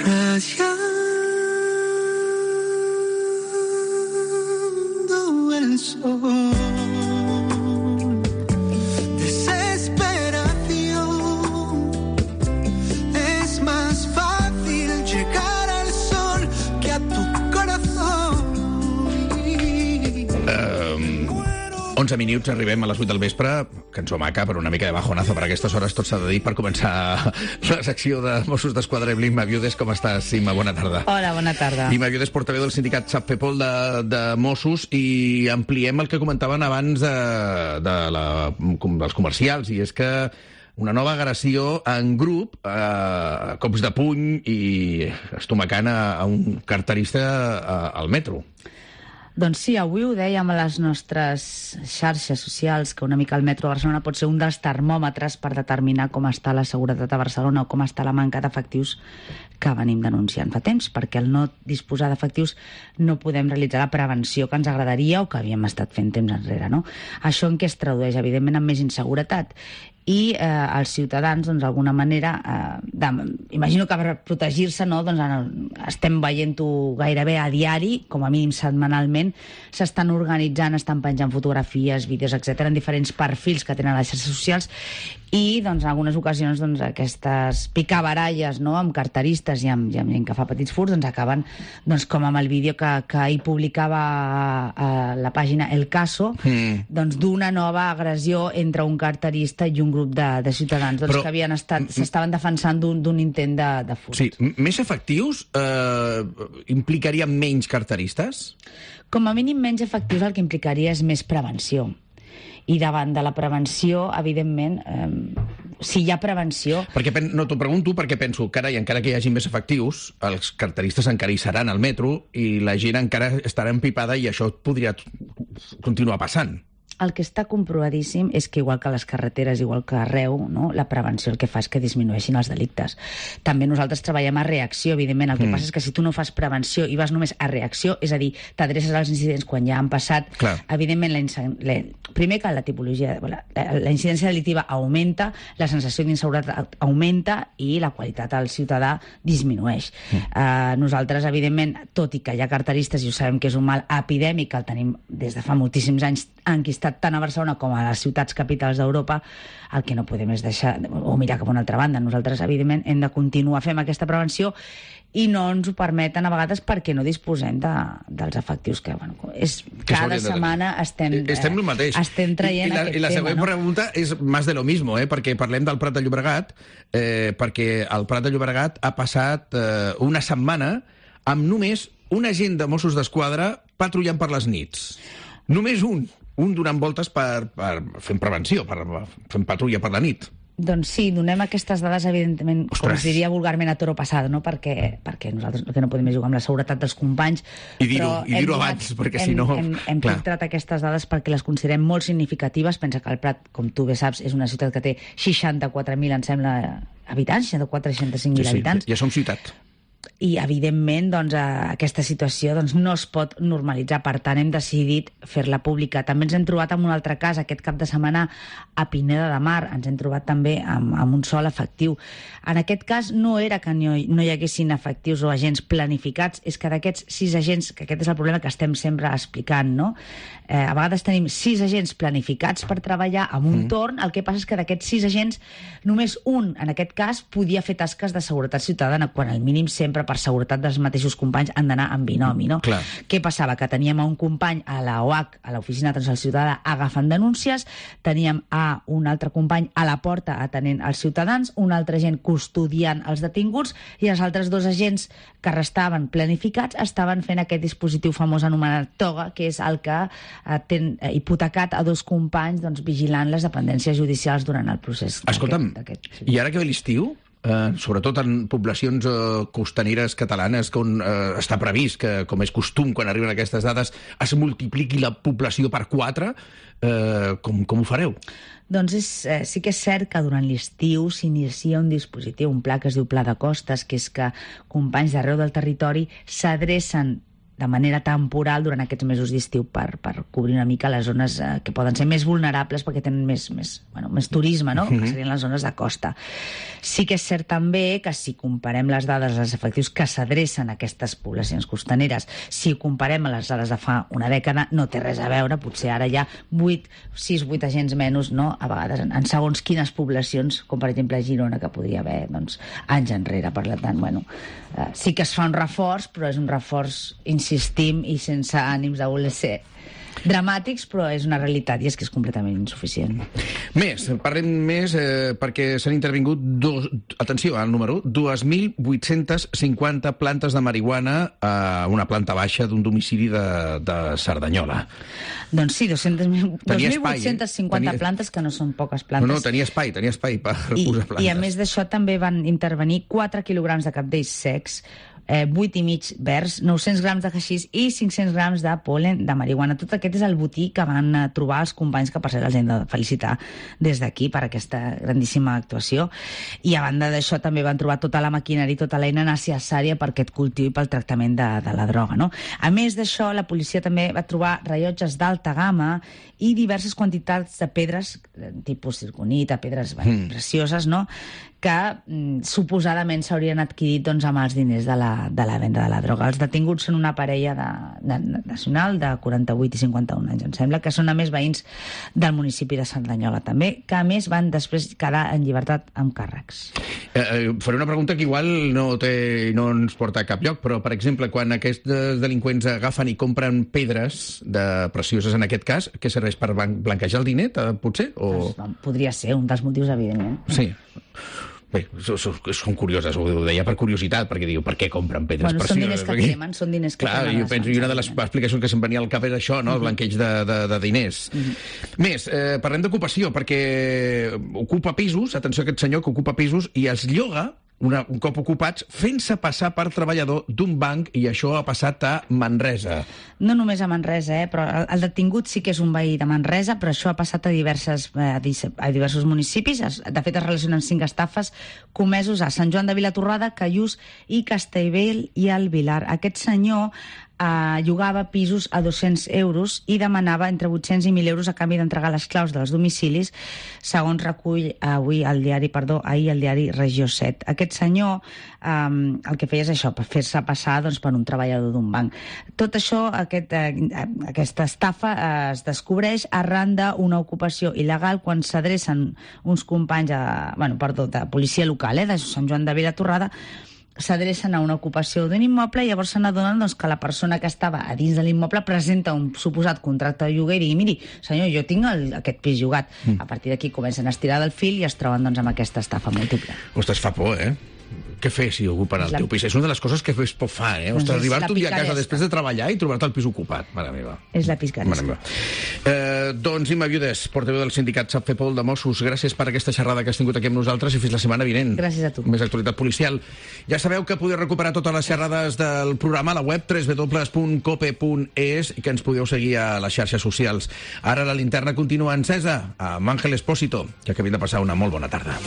Rayando el sol. Desesperación. Es más fácil llegar al sol que a tu corazón. 11 minuts, arribem a les 8 del vespre. Cançó maca, però una mica de bajonazo per aquestes hores, tot s'ha de dir, per començar la secció de Mossos d'Esquadra. Imma Viudes, com estàs, Imma? Bona tarda. Hola, bona tarda. Imma Viudes, portaveu del sindicat SAPFEPOL de Mossos, i ampliem el que comentaven abans dels comercials, i és que una nova agressió en grup, cops de puny i estomacant a un carterista al metro. Doncs sí, avui ho dèiem a les nostres xarxes socials, que una mica el metro de Barcelona pot ser un dels termòmetres per determinar com està la seguretat a Barcelona o com està la manca d'efectius que venim denunciant fa temps, perquè al no disposar d'efectius no podem realitzar la prevenció que ens agradaria o que havíem estat fent temps enrere, no? Això en què es tradueix? Evidentment en més inseguretat. I els ciutadans, doncs, d'alguna manera, imagino que per protegir-se, no, doncs, estem veient-ho gairebé a diari, com a mínim setmanalment, s'estan organitzant, estan penjant fotografies, vídeos, etc., en diferents perfils que tenen a les xarxes socials, i doncs, en algunes ocasions doncs, aquestes picabaralles, no, amb carteristes i amb gent que fa petits furts, doncs, acaben doncs, com amb el vídeo que ahir publicava a la pàgina El Caso, doncs, d'una nova agressió entre un carterista i un grup de ciutadans, doncs, que havien s'estaven defensant d'un intent de furt. Sí, més efectius implicarien menys carteristes? Com a mínim menys efectius el que implicaria és més prevenció. I davant de la prevenció, evidentment, si hi ha prevenció... No t'ho pregunto perquè penso, carai, encara que hi hagi més efectius, els carteristes encara hi seran al metro i la gent encara estarà empipada i això podria continuar passant. El que està comprovadíssim és que, igual que a les carreteres, igual que arreu, no, la prevenció el que fa és que disminueixin els delictes. També nosaltres treballem a reacció, evidentment. El que passa és que si tu no fas prevenció i vas només a reacció, és a dir, t'adreces als incidents quan ja han passat, clar, evidentment, primer que la tipologia, la incidència delictiva augmenta, la sensació d'inseguretat augmenta i la qualitat al ciutadà disminueix. Nosaltres, evidentment, tot i que hi ha carteristes i ho sabem que és un mal epidèmic, que el tenim des de fa moltíssims anys enquistat tant a Barcelona com a les ciutats capitals d'Europa, el que no podem és deixar o mirar cap a una altra banda. Nosaltres, evidentment, hem de continuar fent aquesta prevenció i no ens ho permeten a vegades perquè no disposem dels efectius que, bueno, cada setmana estem traient aquest tema. I la següent pregunta és més de lo mismo, perquè parlem del Prat de Llobregat, perquè el Prat de Llobregat ha passat una setmana amb només un agent de Mossos d'Esquadra patrullant per les nits. Només un donant voltes fent prevenció, fent patrulla per la nit. Doncs sí, donem aquestes dades, evidentment, com es diria vulgarment, a toro passado, no? Perquè nosaltres el que no podem és jugar amb la seguretat dels companys. I dir-ho abans, perquè si no... Hem filtrat aquestes dades perquè les considerem molt significatives. Pensa que el Prat, com tu bé saps, és una ciutat que té 64.000, em sembla, habitants, 64-65.000 habitants. Ja som ciutat. I, evidentment, doncs, aquesta situació no es pot normalitzar. Per tant, hem decidit fer-la pública. També ens hem trobat amb un altre cas aquest cap de setmana a Pineda de Mar. Ens hem trobat també amb un sol efectiu. En aquest cas no era que no hi haguessin efectius o agents planificats, és que d'aquests 6 agents, que aquest és el problema que estem sempre explicant, no? A vegades tenim 6 agents planificats per treballar amb un torn. El que passa és que d'aquests 6 agents només un, en aquest cas, podia fer tasques de seguretat ciutadana, quan al mínim sempre per seguretat dels mateixos companys han d'anar en binomi, no? Clar. Què passava? Que teníem un company a la OAC, a l'Oficina d'Atenció al Ciutadà, agafant denúncies, teníem a un altre company a la porta atenent els ciutadans, un altre agent custodiant els detinguts i els altres 2 agents que restaven planificats estaven fent aquest dispositiu famós anomenat toga, que és el que té hipotecat a 2 companys, doncs, vigilant les dependències judicials durant el procés. Escolta'm, i ara que ve l'estiu, sobretot en poblacions costaneres catalanes, on està previst que, com és costum quan arriben aquestes dades, es multipliqui la població per 4, com ho fareu? Doncs sí que és cert que durant l'estiu s'inicia un dispositiu, un pla que es diu Pla de Costes, que és que companys d'arreu del territori s'adrecen de manera temporal durant aquests mesos d'estiu per cobrir una mica les zones que poden ser més vulnerables perquè tenen més turisme, no? Que serien les zones de costa. Sí que és cert també que si comparem les dades dels efectius que s'adrecen a aquestes poblacions costaneres, si ho comparem a les dades de fa una dècada, no té res a veure, potser ara hi ha 6-8 agents menys, no? A vegades en segons quines poblacions, com per exemple a Girona, que podria haver anys enrere. Per tant, sí que es fa un reforç, però és un reforç, insistim, i sense ànims de voler ser dramàtics, però és una realitat i és que és completament insuficient. Parlem més perquè s'han intervingut, atenció al número, 2.850 plantes de marihuana a una planta baixa d'un domicili de Cerdanyola. Doncs sí, 2.850 plantes, que no són poques plantes. No, tenia espai per posar plantes. I a més d'això també van intervenir 4 quilograms de cabdells secs, 8,5 verds, 900 grams de haixís i 500 grams de pol·len de marihuana. Tot aquest és el botí que van trobar els companys, que per cert els hem de felicitar des d'aquí per aquesta grandíssima actuació. I a banda d'això també van trobar tota la maquinària i tota l'eina necessària per aquest cultiu i pel tractament de la droga, no? A més d'això, la policia també va trobar rellotges d'alta gamma i diverses quantitats de pedres, tipus circonita, pedres precioses, no?, que suposadament s'haurien adquirit amb els diners de la venda de la droga. Els detinguts són una parella nacional de 48 i 51 anys, em sembla, que són a més veïns del municipi de Cerdanyola també, que a més van després quedar en llibertat amb càrrecs. Faré una pregunta que igual no ens porta a cap lloc, però, per exemple, quan aquests delinqüents agafen i compren pedres precioses, en aquest cas, què serveix per blanquejar el diner, potser? Podria ser un dels motius, evidentment. Sí. Bé, són curioses, ho deia per curiositat, perquè diu, per què compren pedres precioses? Són diners que cremen, són diners que cremen. Clar, jo penso, i una de les explicacions que se'm venia al cap és això, no?, el blanqueig de diners. Més, parlem d'ocupació, perquè ocupa pisos, atenció a aquest senyor que ocupa pisos, i els lloga, un cop ocupats, fent-se passar per treballador d'un banc, i això ha passat a Manresa. No només a Manresa, però el detingut sí que és un veí de Manresa, però això ha passat a diversos municipis. De fet, es relacionen 5 estafes comesos a Sant Joan de Vilatorrada, Callús i Castellbell i el Vilar. Aquest senyor llogava pisos a 200 euros i demanava entre 800 i 1.000 euros a canvi d'entregar les claus dels domicilis, segons recull ahir el diari Regió 7. Aquest senyor el que feia és això, per fer-se passar per un treballador d'un banc. Tot això, aquesta estafa es descobreix arran d'una ocupació il·legal quan s'adrecen uns companys de policia local de Sant Joan de Vilatorrada, s'adrecen a una ocupació d'un immoble i llavors se n'adonen que la persona que estava a dins de l'immoble presenta un suposat contracte de lloguer i digui, miri, senyor, jo tinc aquest pis llogat. A partir d'aquí comencen a estirar del fil i es troben amb aquesta estafa múltiple. Ostres, fa por, Què fer si ocupen el teu pis? És una de les coses que més por fa, Ostres, arribar-te un dia a casa després de treballar i trobar-te el pis ocupat. Mare meva. És la picaresca. Doncs Imma Viudes, portaveu del sindicat Sap Fer Pol de Mossos, gràcies per aquesta xerrada que has tingut aquí amb nosaltres i fins la setmana vinent. Gràcies a tu. Més actualitat policial. Ja sabeu que podeu recuperar totes les xerrades del programa a la web www.cope.es i que ens podeu seguir a les xarxes socials. Ara la linterna continua encesa amb Àngel Espósito, que acabem de passar una molt bona tarda.